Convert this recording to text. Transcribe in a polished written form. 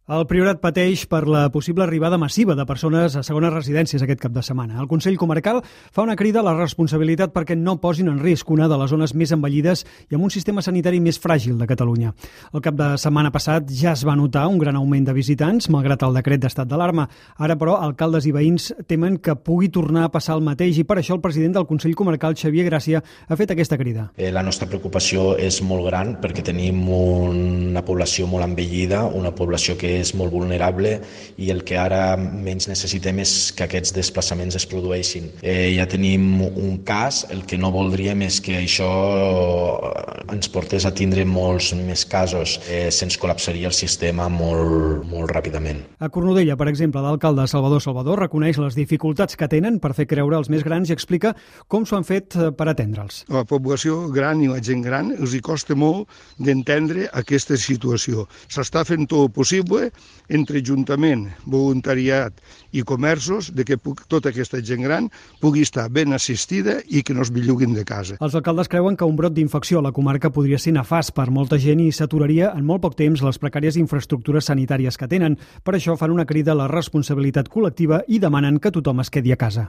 El Priorat pateix per la possible arribada massiva de persones a segones residències aquest cap de setmana. El Consell Comarcal fa una crida a la responsabilitat perquè no posin en risc una de les zones més envellides i amb un sistema sanitari més fràgil de Catalunya. El cap de setmana passat ja es va notar un gran augment de visitants, malgrat el decret d'estat d'alarma. Ara, però, alcaldes i veïns temen que pugui tornar a passar el mateix i per això el president del Consell Comarcal, Xavier Gràcia, ha fet aquesta crida. La nostra preocupació és molt gran perquè tenim una població molt envellida, una població que és molt vulnerable i el que ara menys necessitem és que aquests desplaçaments es produeixin. Ja tenim un cas, el que no voldríem és que això ens portés a tindre molts més casos. Se'ns col·lapsaria el sistema molt ràpidament. A Cornudella, per exemple, l'alcalde Salvador reconeix les dificultats que tenen per fer creure als més grans i explica com s'ho han fet per atendre'ls. A la població gran i la gent gran els hi costa molt d'entendre aquesta situació. S'està fent tot el possible entre Ajuntament, voluntariat i comerços de que tota aquesta gent gran pugui estar ben assistida i que no es belluguin de casa. Els alcaldes creuen que un brot d'infecció a la comarca podria ser nefast per molta gent i s'aturaria en molt poc temps les precàries infraestructures sanitàries que tenen. Per això fan una crida a la responsabilitat col·lectiva i demanen que tothom es quedi a casa.